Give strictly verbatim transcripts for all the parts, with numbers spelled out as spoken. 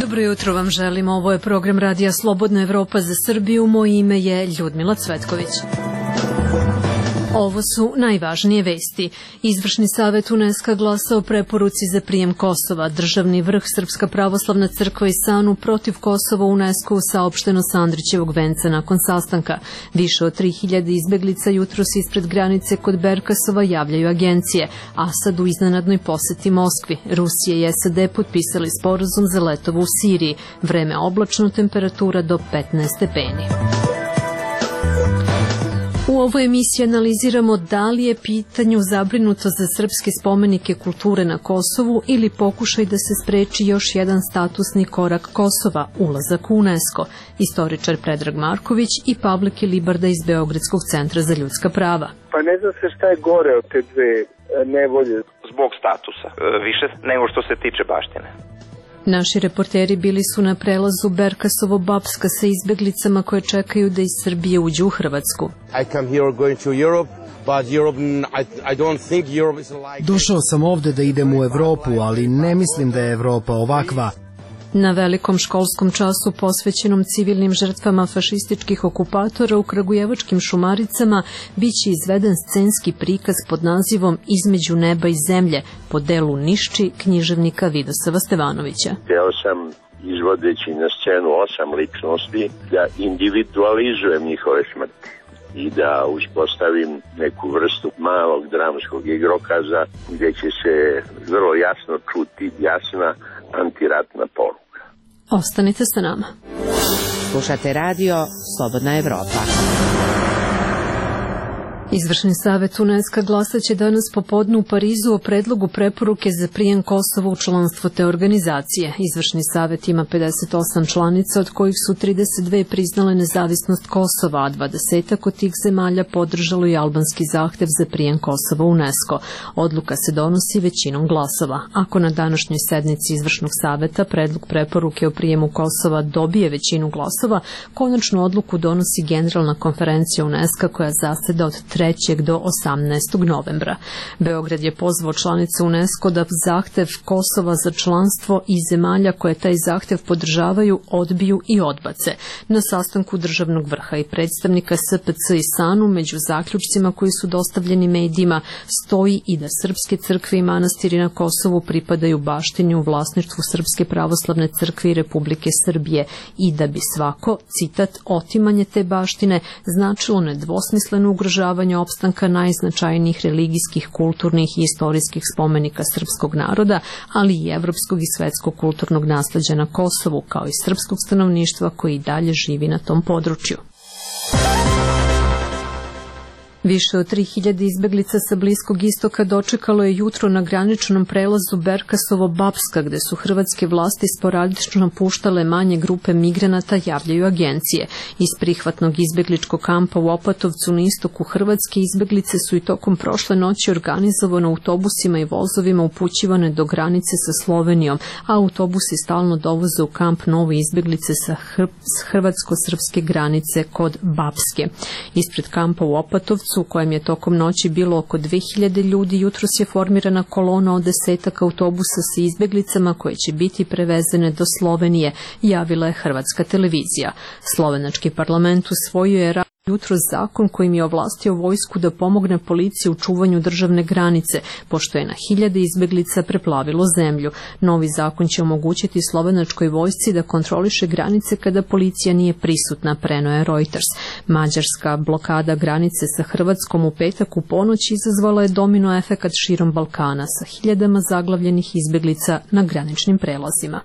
Dobro jutro vam želim, ovo je program Radija Slobodna Evropa za Srbiju, moje ime je Ljudmila Cvetković. Ovo su najvažnije vesti. Izvršni savet UNESCO glasa o preporuci za prijem Kosova. Državni vrh Srpska pravoslavna crkva i SANU protiv Kosova UNESCO saopšteno sa Andrićevog venca nakon sastanka. Više od tri hiljade izbeglica jutros ispred granice kod Berkasova, javljaju agencije. Asad u iznenadnoj poseti Moskvi. Rusija i S A D potpisali sporazum za letovo u Siriji. Vreme oblačno, temperatura do petnaest stepeni. U ovoj emisiji analiziramo da li je pitanju zabrinuto za srpske spomenike kulture na Kosovu ili pokušaj da se spreči još jedan statusni korak Kosova, ulazak u UNESCO. Istoričar Predrag Marković i Pavle Kilibarda iz Beogradskog centra za ljudska prava. Pa ne znam se šta je gore od te dve nevolje. Zbog statusa, više nego što se tiče baštine. Naši reporteri bili su na prelazu Berkasovo-Bapska sa izbeglicama koje čekaju da iz Srbije uđu u Hrvatsku. Došao sam ovde da idem u Evropu, ali ne mislim da je Evropa ovakva. Na velikom školskom času posvećenom civilnim žrtvama fašističkih okupatora u kragujevačkim Šumaricama biće izveden scenski prikaz pod nazivom Između neba i zemlje po delu Nišči književnika Vidosava Stevanovića. Hteo sam, izvodeći na scenu osam ličnosti, da individualizujem njihove smrti i da uspostavim neku vrstu malog dramskog igrokaza gdje će se vrlo jasno čuti jasna antiratna poruka. Ostanite sa nama. Slušate radio Slobodna Evropa. Izvršni savet UNESCO glasaće danas popodne u Parizu o predlogu preporuke za prijem Kosova u članstvo te organizacije. Izvršni savet ima pedeset osam članica, od kojih su trideset dve priznale nezavisnost Kosova, a dvadesetak od tih zemalja podržalo i albanski zahtev za prijem Kosova u UNESCO. Odluka se donosi većinom glasova. Ako na današnjoj sednici Izvršnog saveta predlog preporuke o prijemu Kosova dobije većinu glasova, konačnu odluku donosi Generalna konferencija UNESCO koja zaseda od trećeg do osamnaestog novembra. Beograd je pozvao članice UNESCO da zahtev Kosova za članstvo i zemalja koje taj zahtev podržavaju odbiju i odbace. Na sastanku državnog vrha i predstavnika S P C i SANU među zaključcima koji su dostavljeni medijima stoji i da srpske crkve i manastiri na Kosovu pripadaju baštini u vlasništvu Srpske pravoslavne crkve i Republike Srbije i da bi svako, citat, otimanje te baštine značilo nedvosmisleno ugrožavanje opstanka najznačajnijih religijskih, kulturnih i istorijskih spomenika srpskog naroda, ali i evropskog i svetskog kulturnog nasleđa na Kosovu, kao i srpskog stanovništva koji i dalje živi na tom području. Više od tri hiljade izbeglica sa Bliskog istoka dočekalo je jutro na graničnom prelazu Berkasovo-Bapska, gde su hrvatske vlasti sporadično puštale manje grupe migranata, javljaju agencije. Iz prihvatnog izbegličkog kampa u Opatovcu na istoku Hrvatske izbeglice su i tokom prošle noći organizovano autobusima i vozovima upućivane do granice sa Slovenijom, a autobusi stalno dovoze u kamp nove izbeglice sa hrvatsko-srpske granice kod Bapske. Ispred kampa u Opatovcu, u kojem je tokom noći bilo oko dve hiljade ljudi, jutros je formirana kolona od desetak autobusa sa izbeglicama koje će biti prevezene do Slovenije, javila je hrvatska televizija. Slovenački parlament usvojio je jutro zakon kojim je ovlastio vojsku da pomogne policiji u čuvanju državne granice, pošto je na hiljade izbeglica preplavilo zemlju. Novi zakon će omogućiti slovenačkoj vojsci da kontroliše granice kada policija nije prisutna, preneo je Reuters. Mađarska blokada granice sa Hrvatskom u petak u ponoć izazvala je domino efekat širom Balkana sa hiljadama zaglavljenih izbeglica na graničnim prelazima.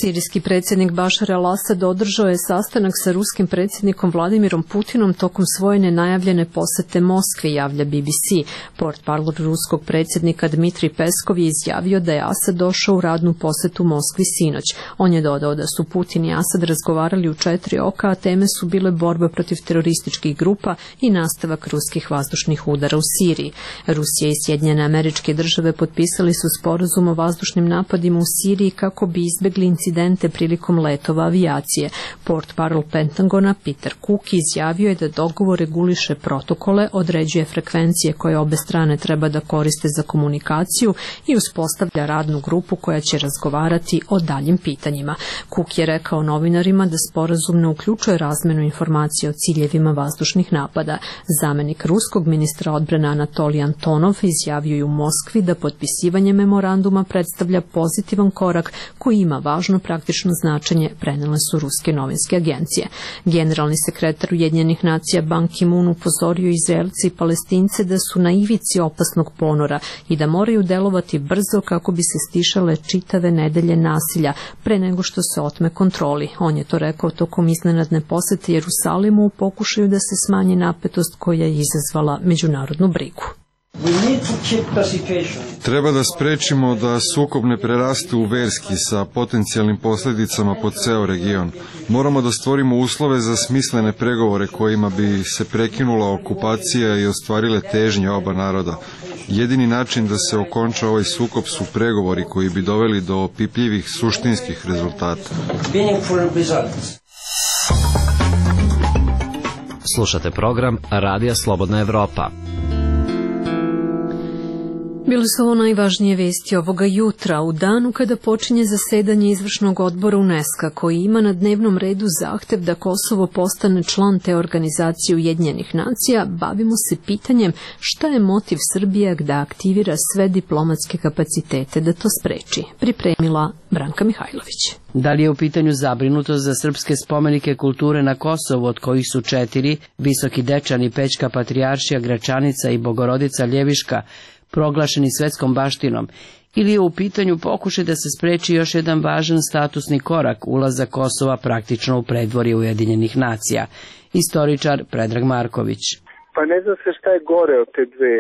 Sirijski predsjednik Bašar al-Asad održao je sastanak sa ruskim predsjednikom Vladimirom Putinom tokom svoje nenajavljene posete Moskvi, javlja B B C. Portparol ruskog predsjednika Dmitri Peskov je izjavio da je Asad došao u radnu posetu Moskvi sinoć. On je dodao da su Putin i Asad razgovarali u četiri oka, a teme su bile borba protiv terorističkih grupa i nastavak ruskih vazdušnih udara u Siriji. Rusija i Sjedinjene Američke Države potpisali su sporazum o vazdušnim napadima u Siriji kako bi izbegli incidente prilikom letova avijacije. Portparol Pentagona Peter Cook izjavio je da dogovor reguliše protokole, određuje frekvencije koje obe strane treba da koriste za komunikaciju i uspostavlja radnu grupu koja će razgovarati o daljim pitanjima. Cook je rekao novinarima da sporazum ne uključuje razmenu informacija o ciljevima vazdušnih napada. Zamenik ruskog ministra odbrane Anatolij Antonov izjavio je u Moskvi da potpisivanje memoranduma predstavlja pozitivan korak koji ima važno praktično značenje, prenele su ruske novinske agencije. Generalni sekretar Ujedinjenih nacija Ban Ki-moon upozorio Izraelce i Palestince da su na ivici opasnog ponora i da moraju delovati brzo kako bi se stišale čitave nedelje nasilja pre nego što se otme kontroli. On je to rekao tokom iznenadne posete Jerusalimu u pokušaju da se smanji napetost koja je izazvala međunarodnu brigu. Treba da sprečimo da sukob ne preraste u verski sa potencijalnim posljedicama po ceo region. Moramo da stvorimo uslove za smislene pregovore kojima bi se prekinula okupacija i ostvarile težnje oba naroda. Jedini način da se okonča ovaj sukob su pregovori koji bi doveli do opipljivih suštinskih rezultata. Slušate program Radija Slobodna Evropa. Bili su ovo najvažnije vesti ovoga jutra, u danu kada počinje zasedanje izvršnog odbora UNESCO koji ima na dnevnom redu zahtev da Kosovo postane član te organizacije Ujedinjenih nacija. Bavimo se pitanjem šta je motiv Srbije da aktivira sve diplomatske kapacitete da to spreči. Pripremila Branka Mihajlović. Da li je u pitanju zabrinutost za srpske spomenike kulture na Kosovu, od kojih su četiri, Visoki Dečani, Pećka Patrijaršija, Gračanica i Bogorodica Ljeviška, proglašeni svetskom baštinom, ili je u pitanju pokušaj da se spreči još jedan važan statusni korak, ulazak Kosova praktično u predvorje Ujedinjenih nacija. Istoričar Predrag Marković. Pa ne zna se šta je gore od te dve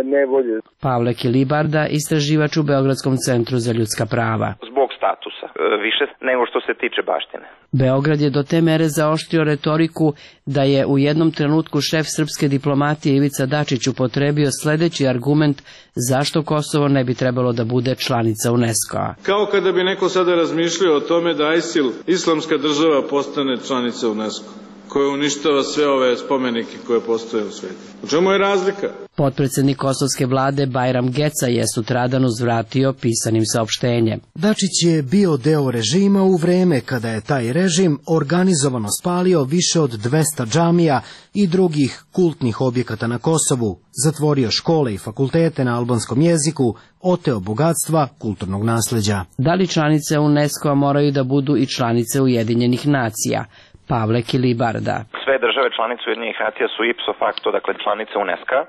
nevolje. Pavle Kilibarda, istraživač u Beogradskom centru za ljudska prava. Zbog statusa, više nego što se tiče baštine. Beograd je do te mere zaoštrio retoriku da je u jednom trenutku šef srpske diplomatije Ivica Dačić upotrebio sledeći argument zašto Kosovo ne bi trebalo da bude članica UNESCO-a. Kao kada bi neko sada razmišljao o tome da ISIL, islamska država, postane članica UNESCO, koja uništava sve ove spomenike koje postoje u svijetu. U čemu je razlika? Potpredsednik kosovske vlade Bajram Geca je sutradan uzvratio pisanim saopštenjem. Dačić je bio deo režima u vreme kada je taj režim organizovano spalio više od dvesta džamija i drugih kultnih objekata na Kosovu, zatvorio škole i fakultete na albanskom jeziku, oteo bogatstva kulturnog nasleđa. Da li članice UNESCO-a moraju da budu i članice Ujedinjenih nacija? Pavle Kilibarda. Sve države članice Ujedinjenih nacija su ipso facto, dakle članice UNESCO-a.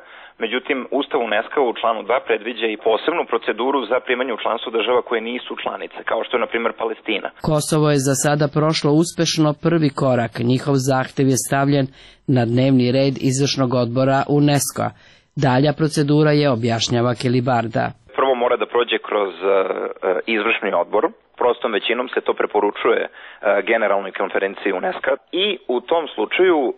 Međutim, Ustav UNESCO u članu dva predviđa i posebnu proceduru za primanje u članstvo država koje nisu članice, kao što je, na primjer, Palestina. Kosovo je za sada prošlo uspešno prvi korak. Njihov zahtev je stavljen na dnevni red izvršnog odbora UNESCO-a. Dalja procedura je, objašnjava Kilibarda. Prvo mora da prođe kroz uh, izvršni odbor. Prostom većinom se to preporučuje uh, generalnoj konferenciji UNESCO i u tom slučaju uh,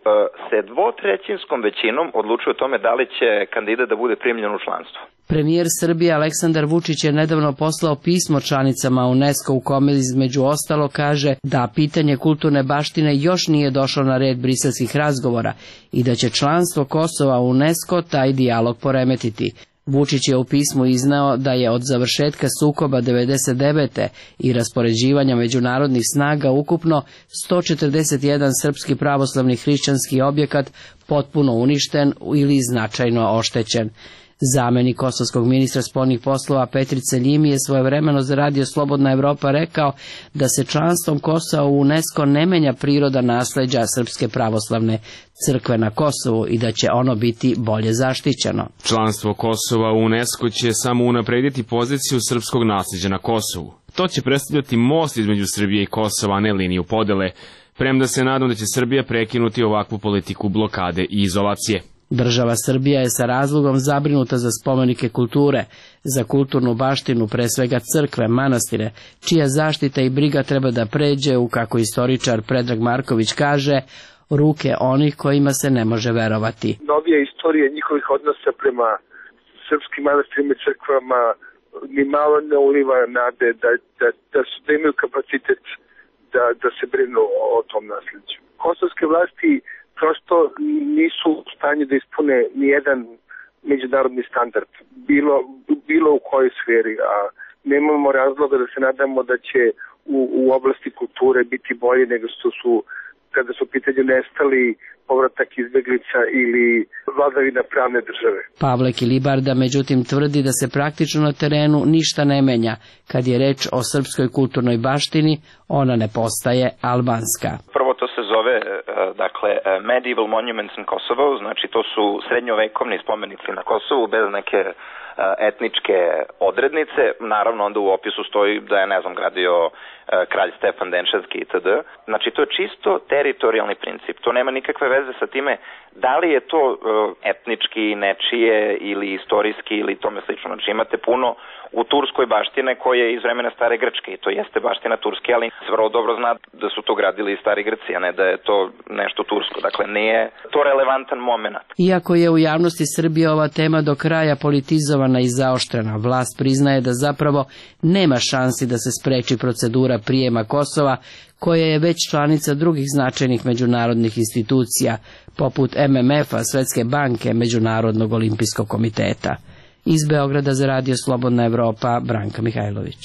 se dvotrećinskom većinom odlučuje o tome da li će kandidat da bude primljen u članstvo. Premijer Srbije Aleksandar Vučić je nedavno poslao pismo članicama UNESCO u kome između ostalo kaže da pitanje kulturne baštine još nije došlo na red briselskih razgovora i da će članstvo Kosova u UNESCO taj dijalog poremetiti. Vučić je u pismu izneo da je od završetka sukoba devedeset devete i raspoređivanja međunarodnih snaga ukupno sto četrdeset jedan srpski pravoslavni hrišćanski objekat potpuno uništen ili značajno oštećen. Zamenik kosovskog ministra spoljnih poslova Petrice Ljimi je svojevremeno za Radio Slobodna Evropa rekao da se članstvom Kosova u UNESCO ne menja priroda nasleđa Srpske pravoslavne crkve na Kosovu i da će ono biti bolje zaštićeno. Članstvo Kosova u UNESCO će samo unaprediti poziciju srpskog nasleđa na Kosovu. To će predstavljati most između Srbije i Kosova, a ne liniju podele, premda se nadam da će Srbija prekinuti ovakvu politiku blokade i izolacije. Država Srbija je sa razlogom zabrinuta za spomenike kulture, za kulturnu baštinu, pre svega crkve, manastire, čija zaštita i briga treba da pređe u, kako istoričar Predrag Marković kaže, ruke onih kojima se ne može verovati. Novija istorija njihovih odnosa prema srpskim manastirima i crkvama ni malo ne uliva nade da, da, da, su, da imaju kapacitet da, da se brinu o tom nasleđu. Kosovske vlasti prosto nisu u stanju da ispune nijedan međunarodni standard, bilo, bilo u kojoj sferi, a nemamo razloga da se nadamo da će u, u oblasti kulture biti bolje nego što su kada su u pitanju nestali, povratak izbeglica ili vladavina pravne države. Pavle Kilibarda međutim tvrdi da se praktično na terenu ništa ne menja. Kad je reč o srpskoj kulturnoj baštini, ona ne postaje albanska. Prvo to se zove dakle Medieval Monuments in Kosovo, znači to su srednjovekovni spomenici na Kosovu bez neke etničke odrednice. Naravno onda u opisu stoji da je, ne znam, gradio kralj Stefan Denševski itd. Znači to je čisto teritorijalni princip. To nema nikakve veze sa time da li je to etnički, nečije ili istorijski ili tome slično. Znači imate puno u Turskoj baštine koje je iz vremena stare Grčke i to jeste baština Turske, ali vrlo dobro zna da su to gradili i stari Grci, a ne da je to nešto tursko. Dakle, nije to relevantan moment. Iako je u javnosti Srbije ova tema do kraja politizovana i zaoštrena, vlast priznaje da zapravo nema šansi da se spreči procedura prijema Kosova, koja je već članica drugih značajnih međunarodnih institucija, poput M M F-a, Svetske banke, Međunarodnog olimpijskog komiteta. Iz Beograda za Radio Slobodna Evropa, Branka Mihajlović.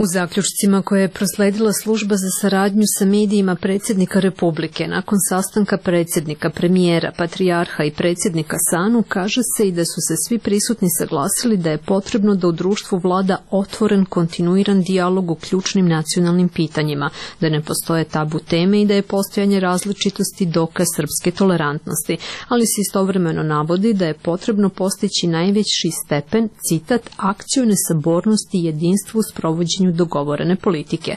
U zaključcima koje je prosledila služba za saradnju sa medijima predsjednika Republike nakon sastanka predsjednika, premijera, patrijarha i predsjednika SANU, kaže se i da su se svi prisutni saglasili da je potrebno da u društvu vlada otvoren, kontinuiran dijalog u ključnim nacionalnim pitanjima, da ne postoje tabu teme i da je postojanje različitosti dokaz srpske tolerantnosti, ali se istovremeno navodi da je potrebno postići najveći stepen, citat, akcione sabornosti i jedinstvu s provođenjem dogovorene politike.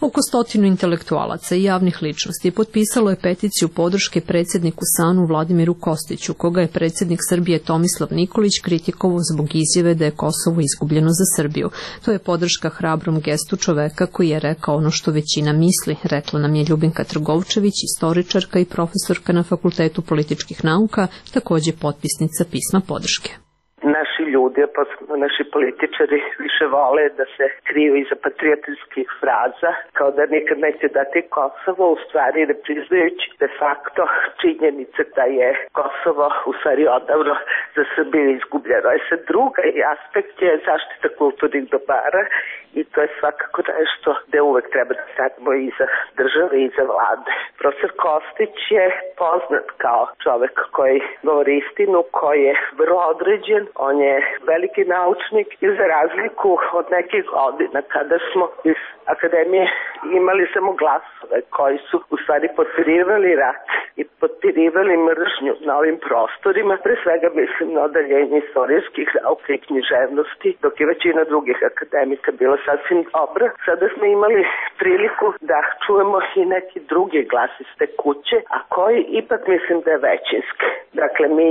Oko stotinu intelektualaca i javnih ličnosti potpisalo je peticiju podrške predsjedniku SANU Vladimiru Kostiću, koga je predsjednik Srbije Tomislav Nikolić kritikovao zbog izjave da je Kosovo izgubljeno za Srbiju. To je podrška hrabrom gestu čoveka koji je rekao ono što većina misli, rekla nam je Ljubinka Trgovčević, istoričarka i profesorka na Fakultetu političkih nauka, također potpisnica pisma podrške. Naši ljudi, pa naši političari više vole da se kriju iza patriotskih fraza, kao da nikad neće dati Kosovo, u stvari ne priznajući de facto činjenice da je Kosovo u stvari odavno za Srbiju izgubljeno. E sad druga aspekt je zaštita kulturnih dobara i to je svakako nešto gde uvek treba da stanemo iza države i iza vlade. Profesor Kostić je poznat kao čovek koji govori istinu, koji je vrlo određen. On je veliki naučnik i za razliku od nekih godina kada smo iz akademije imali samo glasove koji su u stvari potpirivali rat i potpirivali mržnju na ovim prostorima, pre svega mislim na odeljenje istorijskih nauka i književnosti, dok je većina drugih akademika bila sasvim dobra. Sada smo imali priliku da čujemo i neki drugi glas iz te kuće, a koji ipak mislim da je većinski. Dakle, mi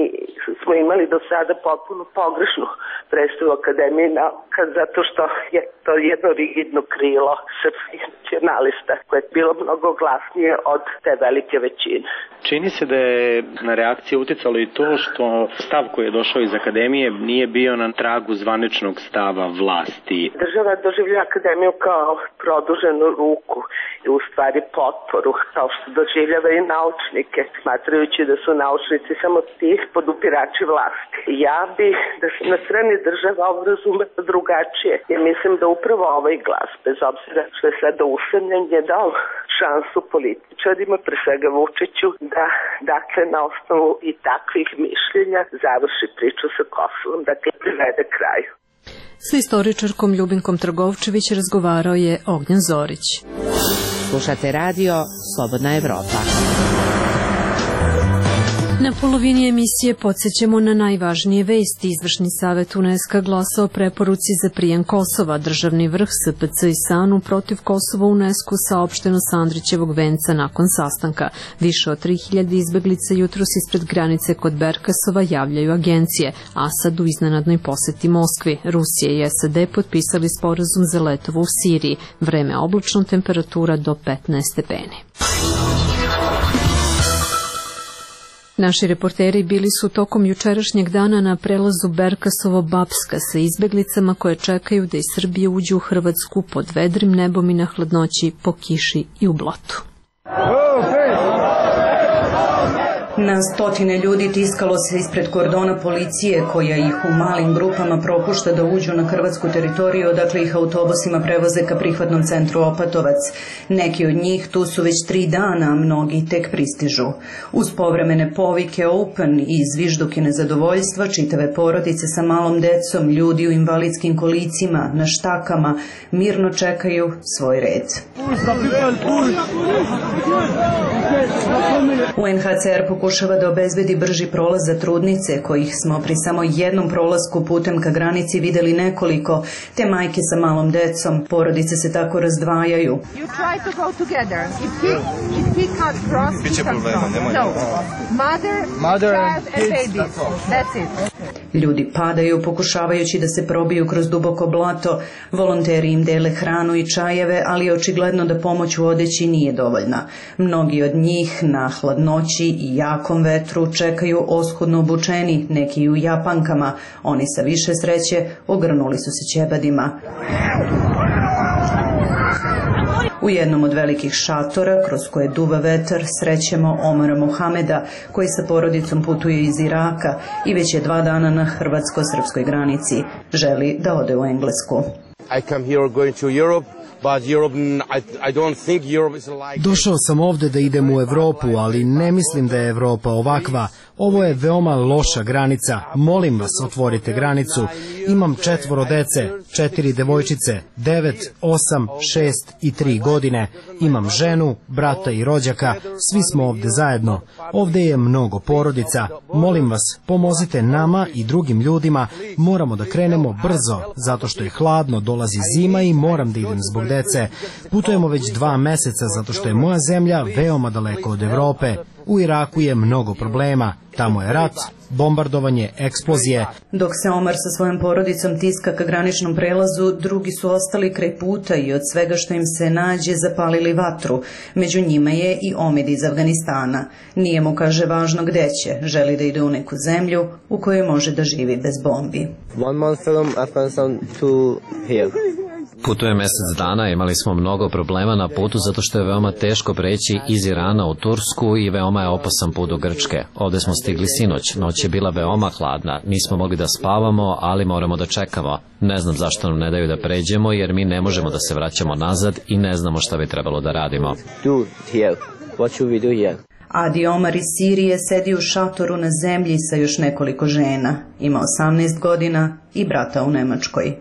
smo imali do sada potpuno pogrešnu predstavu Akademije nauka zato što je to jedno rigidno krilo srpskih nacionalista koje je bilo mnogo glasnije od te velike većine. Čini se da je na reakciju uticalo i to što stav koji je došao iz Akademije nije bio na tragu zvaničnog stava vlasti. Država doživlja Akademiju kao produženu ruku i u stvari potporu, kao što doživljava i naučnike, smatrajući da su naučnici samo tih podupirači vlasti. Ja bi da se na strani država ovo razume drugačije, jer mislim da upravo ovaj glas, bez obzira što je sada usamljen, je dao šansu političarima, pre svega Vučiću, da dakle na osnovu i takvih mišljenja završi priču sa Kosovom, dakle privede kraju. Sa istoričarkom Ljubinkom Trgovčević razgovarao je Ognjen Zorić. Slušate radio Slobodna Evropa. Na polovini emisije podsjećamo na najvažnije vesti. Izvršni savet UNESCO glasao preporuci za prijem Kosova. Državni vrh S P C i S A N U protiv Kosova UNESCO saopšteno sa Andrićevog venca nakon sastanka. Više od tri hiljade izbeglica jutros ispred granice kod Berkasova, javljaju agencije. Asad u iznenadnoj poseti Moskvi. Rusija i S A D potpisali sporazum za letovo u Siriji. Vreme oblačno, temperatura do petnaest stepeni. Naši reporteri bili su tokom jučerašnjeg dana na prelazu Berkasovo-Bapska sa izbeglicama koje čekaju da iz Srbije uđu u Hrvatsku pod vedrim nebom i na hladnoći, po kiši i u blatu. Na stotine ljudi tiskalo se ispred kordona policije koja ih u malim grupama propušta da uđu na hrvatsku teritoriju, odakle ih autobusima prevoze ka prihvatnom centru Opatovac. Neki od njih tu su već tri dana, a mnogi tek pristižu. Uz povremene povike open i zvižduke nezadovoljstva, čitave porodice sa malom decom, ljudi u invalidskim kolicima, na štakama, mirno čekaju svoj red. U N H C R pokušava da obezbedi brži prolaz za trudnice, kojih smo pri samo jednom prolasku putem ka granici videli nekoliko, te majke sa malom decom. Porodice se tako razdvajaju. Ljudi padaju pokušavajući da se probiju kroz duboko blato. Volonteri im dele hranu i čajeve, ali je očigledno da pomoć u odeći nije dovoljna. Mnogi od njih na hladnoći i jakom vetru čekaju oskudno obučeni, neki u japankama. Oni sa više sreće ogrnuli su se ćebadima. U jednom od velikih šatora, kroz koje duva vetar, srećemo Omara Mohameda, koji sa porodicom putuje iz Iraka i već je dva dana na hrvatsko-srpskoj granici. Želi da ode u Englesku. I come here going to Europe. Došao sam ovde da idem u Evropu, ali ne mislim da je Evropa ovakva. Ovo je veoma loša granica. Molim vas, otvorite granicu. Imam četvoro dece, četiri devojčice, devet, osam, šest i tri godine. Imam ženu, brata i rođaka. Svi smo ovde zajedno. Ovde je mnogo porodica. Molim vas, pomozite nama i drugim ljudima. Moramo da krenemo brzo, zato što je hladno, dolazi zima i moram da idem zbog dece. Putujemo već dva meseca zato što je moja zemlja veoma daleko od Evrope. U Iraku je mnogo problema. Tamo je rat, bombardovanje, eksplozije. Dok se Omar sa svojom porodicom tiska ka graničnom prelazu, drugi su ostali kraj puta i od svega što im se nađe zapalili vatru. Među njima je i Omid iz Afganistana. Nije mu, kaže, važno gde će. Želi da ide u neku zemlju u kojoj može da živi bez bombi. One month from Afghanistan to here. Putuje mesec dana, imali smo mnogo problema na putu zato što je veoma teško preći iz Irana u Tursku i veoma je opasan put do Grčke. Ovde smo stigli sinoć, noć je bila veoma hladna, nismo mogli da spavamo, ali moramo da čekamo. Ne znam zašto nam ne daju da pređemo, jer mi ne možemo da se vraćamo nazad i ne znamo šta bi trebalo da radimo. Do here. What should we do here? Adi Omar iz Sirije sedi u šatoru na zemlji sa još nekoliko žena. Ima osamnaest godina i brata u Nemačkoj.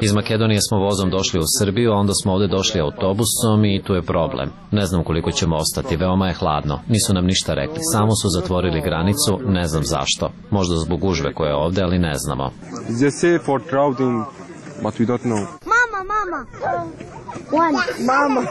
Iz Makedonije smo vozom došli u Srbiju, a onda smo ovde došli autobusom i tu je problem. Ne znam koliko ćemo ostati, veoma je hladno. Nisu nam ništa rekli, samo su zatvorili granicu, ne znam zašto. Možda zbog gužve koja je ovde, ali ne znamo. Mama, mama. Mama.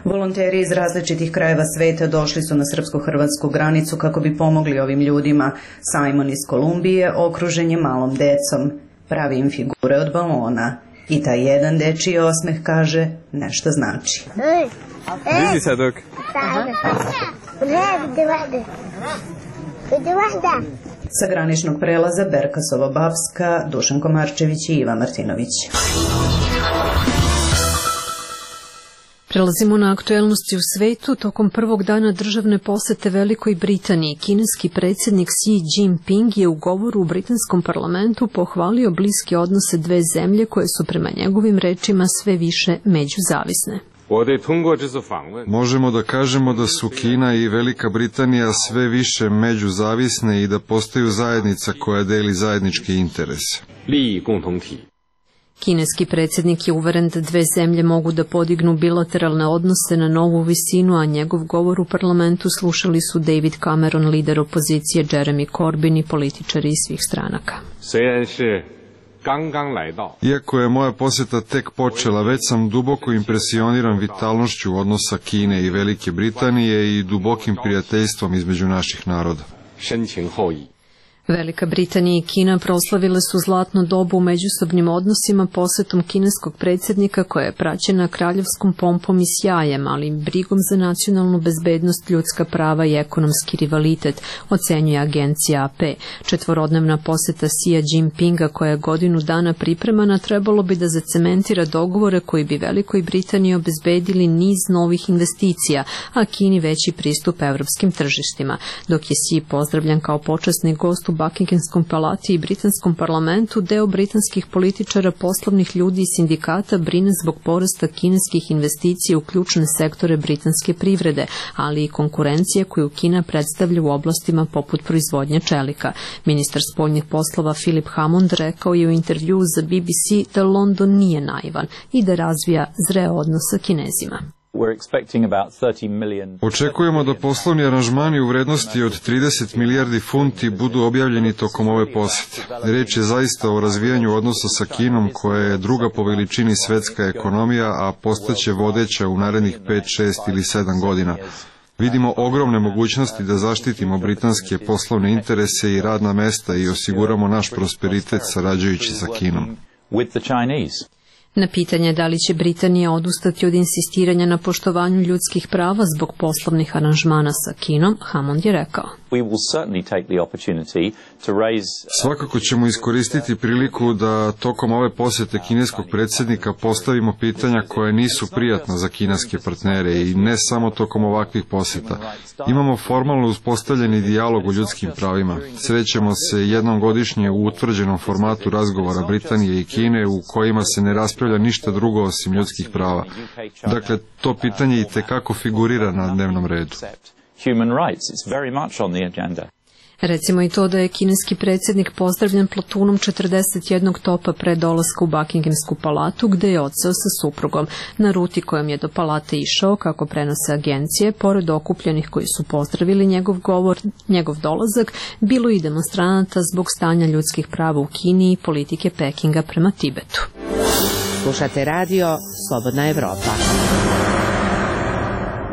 Volonteri iz različitih krajeva sveta došli su na srpsko-hrvatsku granicu kako bi pomogli ovim ljudima. Simon iz Kolumbije okružen je malom decom. Pravi im figure od balona. I taj jedan dečiji osmeh, kaže, nešto znači. Vidi se dok. Sa graničnog prelaza Berkasovo-Bapska, Dušan Komarčević i Iva Martinović. Prelazimo na aktuelnosti u svetu. Tokom prvog dana državne posete Velikoj Britaniji, kineski predsjednik Xi Jinping je u govoru u britanskom parlamentu pohvalio bliske odnose dve zemlje koje su prema njegovim rečima sve više međuzavisne. Možemo da kažemo da su Kina i Velika Britanija sve više međuzavisne i da postaju zajednica koja deli zajednički interes. Kineski predsjednik je uveren da dve zemlje mogu da podignu bilateralne odnose na novu visinu, a njegov govor u parlamentu slušali su David Cameron, lider opozicije, Jeremy Corbyn i političari iz svih stranaka. Iako je moja posjeta tek počela, već sam duboko impresioniran vitalnošću odnosa Kine i Velike Britanije i dubokim prijateljstvom između naših naroda. Velika Britanija i Kina proslavile su zlatno dobu u međusobnim odnosima posjetom kineskog predsjednika koja je praćena kraljevskom pompom i sjajem, ali i brigom za nacionalnu bezbednost, ljudska prava i ekonomski rivalitet, ocenjuje agencija A P. Četvorodnevna posjeta Xi Jinpinga koja je godinu dana pripremana trebalo bi da zacementira dogovore koji bi Velikoj Britaniji obezbedili niz novih investicija, a Kini veći pristup evropskim tržištima. Dok je Xi pozdravljan kao počasni gost u Buckinghamskom palati i britanskom parlamentu, deo britanskih političara, poslovnih ljudi i sindikata brine zbog porasta kineskih investicija u ključne sektore britanske privrede, ali i konkurencije koju Kina predstavlja u oblastima poput proizvodnje čelika. Ministar spoljnih poslova Philip Hammond rekao je u intervjuu za B B C da London nije naivan i da razvija zreo odnos sa Kinezima. Očekujemo da poslovni aranžmani u vrednosti od trideset milijardi funti budu objavljeni tokom ove posjete. Reč je zaista o razvijanju odnosa sa Kinom koja je druga po veličini svetska ekonomija, a postaće vodeća u narednih pet, šest ili sedam godina. Vidimo ogromne mogućnosti da zaštitimo britanske poslovne interese i radna mesta i osiguramo naš prosperitet sarađujući sa Kinom. Na pitanje da li će Britanija odustati od insistiranja na poštovanju ljudskih prava zbog poslovnih aranžmana sa Kinom, Hammond je rekao: Svakako ćemo iskoristiti priliku da tokom ove posjete kineskog predsjednika postavimo pitanja koje nisu prijatna za kineske partnere i ne samo tokom ovakvih posjeta. Imamo formalno uspostavljeni dijalog o ljudskim pravima. Srećemo se jednom godišnje u utvrđenom formatu razgovora Britanije i Kine u kojima se ne raspravlja ništa drugo osim ljudskih prava. Dakle, to pitanje i tekako figurira na dnevnom redu. Recimo i to da je kineski predsjednik pozdravljen platunom četrdeset jednog topa pre dolaska u Buckinghamsku palatu, gde je odseo sa suprugom. Na ruti kojom je do palate išao, kako prenose agencije, pored okupljenih koji su pozdravili njegov govor, njegov dolazak, bilo i demonstranata zbog stanja ljudskih prava u Kini i politike Pekinga prema Tibetu. Slušate radio Slobodna Evropa.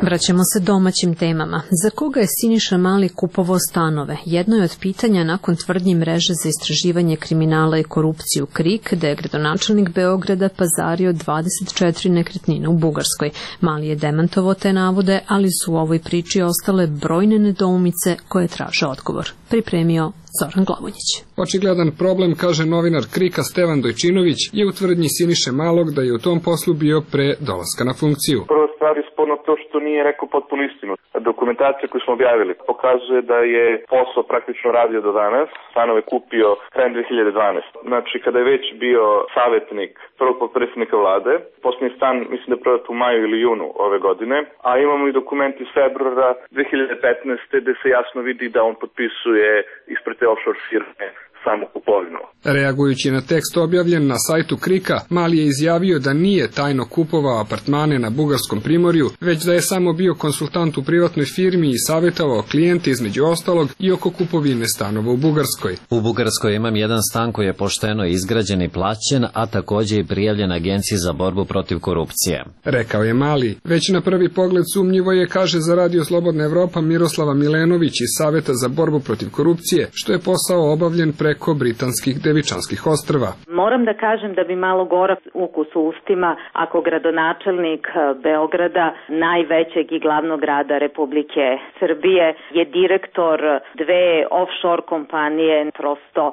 Vraćamo se domaćim temama. Za koga je Siniša Mali kupovao stanove? Jedno je od pitanja nakon tvrdnji mreže za istraživanje kriminala i korupciju KRIK, da je gradonačelnik Beograda pazario dvadeset četiri nekretnine u Bugarskoj. Mali je demantovao te navode, ali su u ovoj priči ostale brojne nedoumice koje traže odgovor. Pripremio Zoran Glavonjić. Očigledan problem, kaže novinar KRIK-a Stevan Dojčinović, je u tvrdnji Siniše Malog da je u tom poslu bio pre dolaska na funkciju. Prva stvar je sporno to što nije rekao potpunu istinu. Dokumentacija koju smo objavili pokazuje da je posao praktično radio do danas. Stanove kupio krajem dve hiljade dvanaeste. Znači, kada je već bio savjetnik prvog potpredsjednika vlade, posljednji stan mislim da je prodat u maju ili junu ove godine, a imamo i dokument iz februara dve hiljade petnaeste gde se jasno vidi da on potpisuje ispred te offshore firme samo kupovinu. Reagujući na tekst objavljen na sajtu KRIK-a, Mali je izjavio da nije tajno kupovao apartmane na bugarskom primorju, već da je samo bio konsultant u privatnoj firmi i savjetovao klijente između ostalog i oko kupovine stanova u Bugarskoj. U Bugarskoj imam jedan stan koji je pošteno izgrađen i plaćen, a također i prijavljen Agenciji za borbu protiv korupcije. Rekao je Mali. Već na prvi pogled sumnjivo je, kaže za Radio Slobodna Evropa Miroslava Milenović iz Saveta za borbu protiv korupcije, što je posao obavljen pre preko britanskih Devičanskih ostrva. Moram da kažem da bi malo gorak ukus u ustima ako gradonačelnik Beograda, najvećeg i glavnog grada Republike Srbije, je direktor dve offshore kompanije. Prosto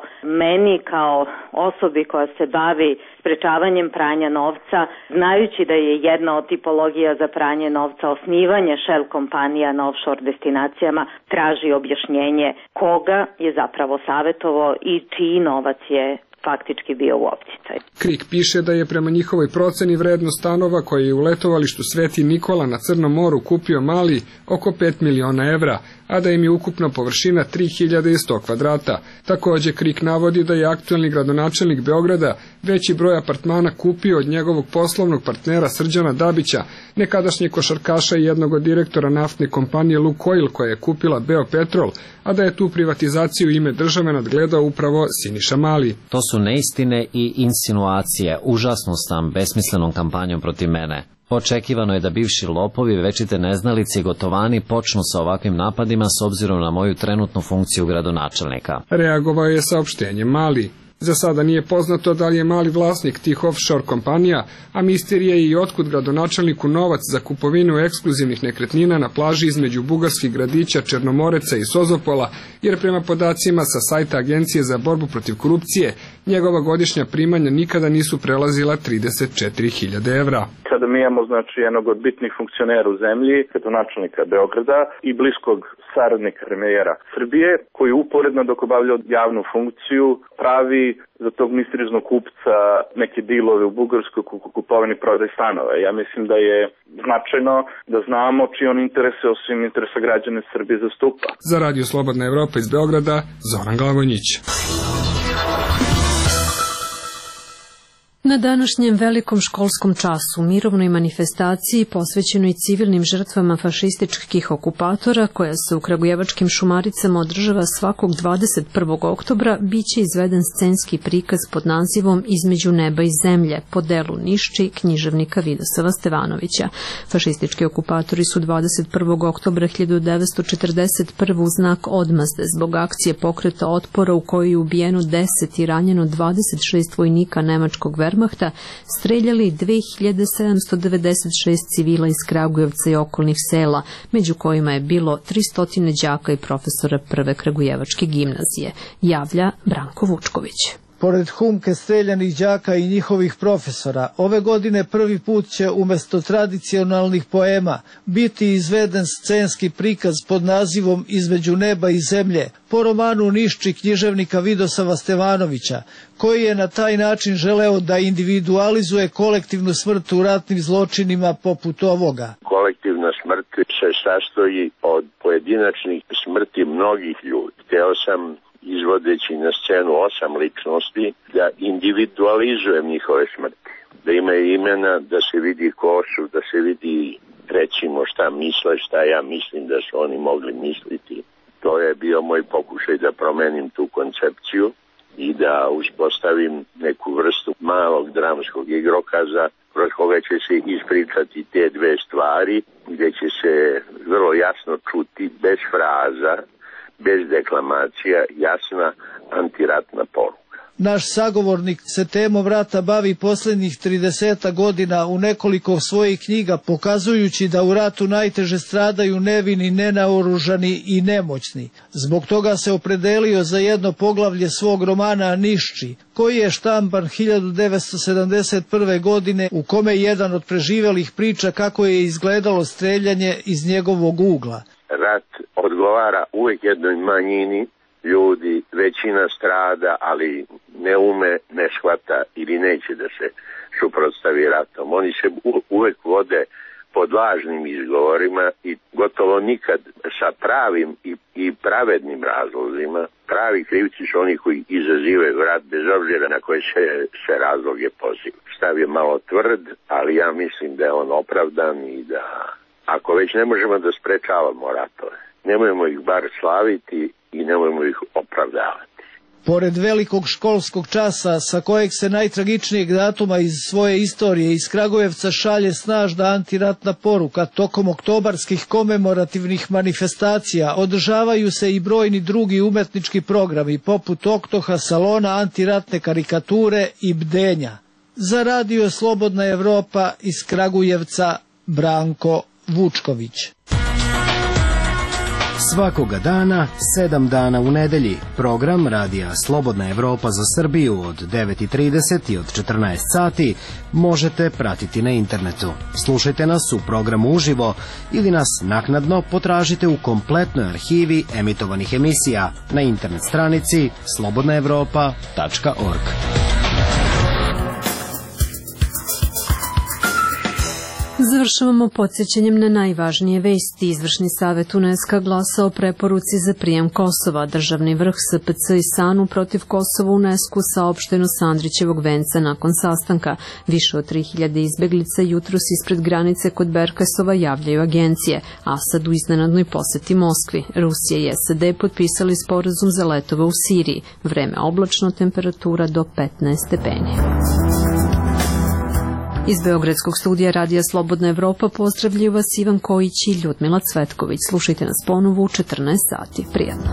meni kao osobi koja se bavi sprečavanjem pranja novca, znajući da je jedna od tipologija za pranje novca osnivanje shell kompanija na offshore destinacijama, traži objašnjenje koga je zapravo savjetovao i čiji novac je faktički bio u opticaj. KRIK piše da je prema njihovoj proceni vrednost stanova koje je u letovalištu Sveti Nikola na Crnom moru kupio Mali oko pet miliona evra, a da im je ukupna površina tri hiljade sto kvadrata. Takođe, Krik navodi da je aktuelni gradonačelnik Beograda veći broj apartmana kupio od njegovog poslovnog partnera Srđana Dabića, nekadašnjeg košarkaša i jednog od direktora naftne kompanije Lukoil koja je kupila Beopetrol, a da je tu privatizaciju u ime države nadgledao upravo Siniša Mali. To su neistine i insinuacije, užasno sam besmislenom kampanjom protiv mene. Očekivano je da bivši lopovi, večite neznalice i gotovani počnu sa ovakvim napadima s obzirom na moju trenutnu funkciju gradonačelnika. Reagovao je saopštenjem Mali. Za sada nije poznato da li je Mali vlasnik tih offshore kompanija, a misterija je i otkud gradonačelniku novac za kupovinu ekskluzivnih nekretnina na plaži između bugarskih gradića Černomoreca i Sozopola, jer prema podacima sa sajta Agencije za borbu protiv korupcije, njegova godišnja primanja nikada nisu prelazila trideset četiri hiljade evra. Sada mi imamo znači jednog od bitnih funkcionera u zemlji, gradonačelnika Beograda i bliskog saradnika premijera Srbije, koji uporedno dok obavlja javnu funkciju pravi za tog misterioznog kupca neke dilove u Bugarskoj kupovini prodaj stanova. Ja mislim da je značajno da znamo čiji on interese osim interesa građana Srbije zastupa. Za Radio Slobodna Evropa iz Beograda, Zoran Glavonjić. Na današnjem velikom školskom času, mirovnoj manifestaciji posvećenoj civilnim žrtvama fašističkih okupatora, koja se u kragujevačkim Šumaricama održava svakog dvadeset prvog oktobra, biće izveden scenski prikaz pod nazivom Između neba i zemlje, po delu Nišči književnika Vidosava Stevanovića. Fašistički okupatori su dvadeset prvog oktobra hiljadu devetsto četrdeset prve u znak odmazde zbog akcije pokreta otpora u kojoj je ubijeno deset i ranjeno dvadeset šest vojnika nemačkog Wehrmachta, streljali dve hiljade sedamsto devedeset šest civila iz Kragujevca i okolnih sela, među kojima je bilo tristo đaka i profesora prve kragujevačke gimnazije, javlja Branko Vučković. Pored humke streljanih đaka i njihovih profesora, ove godine prvi put će umesto tradicionalnih poema biti izveden scenski prikaz pod nazivom Između neba i zemlje, po romanu Nišči književnika Vidosava Stevanovića, koji je na taj način želeo da individualizuje kolektivnu smrt u ratnim zločinima poput ovoga. Kolektivna smrt se sastoji od pojedinačnih smrti mnogih ljudi. Hteo sam, izvodeći na scenu osam ličnosti, da individualizujem njihove smrti. Da imaju imena, da se vidi ko su, da se vidi recimo šta misle, šta ja mislim da su oni mogli misliti. To je bio moj pokušaj da promenim tu koncepciju i da uspostavim neku vrstu malog dramskog igrokaza kroz koga će se ispričati te dve stvari, gde će se vrlo jasno čuti bez fraza, bez deklamacija, jasna antiratna poruka. Naš sagovornik se temom rata bavi posljednjih trideset godina u nekoliko svojih knjiga, pokazujući da u ratu najteže stradaju nevini, nenaoružani i nemoćni. Zbog toga se opredelio za jedno poglavlje svog romana Nišči, koji je štampan hiljadu devetsto sedamdeset prve. godine, u kome jedan od preživelih priča kako je izgledalo streljanje iz njegovog ugla. Rat odgovara uvijek jednoj manjini ljudi, većina strada, ali ne ume, ne shvata ili neće da se suprotstavi ratom. Oni se uvijek vode pod lažnim izgovorima i gotovo nikad sa pravim i, i pravednim razlozima. Pravi krivci su oni koji izazivaju rat bez obzira na koje se, se razloge poziv. Stav je malo tvrd, ali ja mislim da je on opravdan i da ako već ne možemo da sprečavamo ratove, nemojmo ih bar slaviti i nemojmo ih opravdavati. Pored velikog školskog časa, sa kojeg se najtragičnijeg datuma iz svoje istorije iz Kragujevca šalje snažna antiratna poruka, tokom oktobarskih komemorativnih manifestacija održavaju se i brojni drugi umetnički programi, poput Oktoha, salona, antiratne karikature i bdenja. Za Radio Slobodna Evropa iz Kragujevca, Branko Vučković. Svakoga dana, sedam dana u nedelji, program Radija Slobodna Evropa za Srbiju od devet i trideset i od četrnaest sati možete pratiti na internetu. Slušajte nas u programu uživo ili nas naknadno potražite u kompletnoj arhivi emitovanih emisija na internet stranici slobodna evropa tačka org. Završavamo podsjećanjem na najvažnije vesti. Izvršni savet UNESCO glasao o preporuci za prijem Kosova. Državni vrh S P C i S A N U protiv Kosova UNESCO saopšteno s Andrićevog venca nakon sastanka. Više od tri hiljade izbeglica jutros ispred granice kod Berkasova javljaju agencije. Asad u iznenadnoj poseti Moskvi. Rusija i S A D potpisali sporazum za letove u Siriji. Vreme oblačno, temperatura do petnaest stepeni. Iz Beogradskog studija Radija Slobodna Evropa pozdravljaju vas Ivan Kojić i Ljudmila Cvetković. Slušajte nas ponovo u četrnaest sati. Prijatno.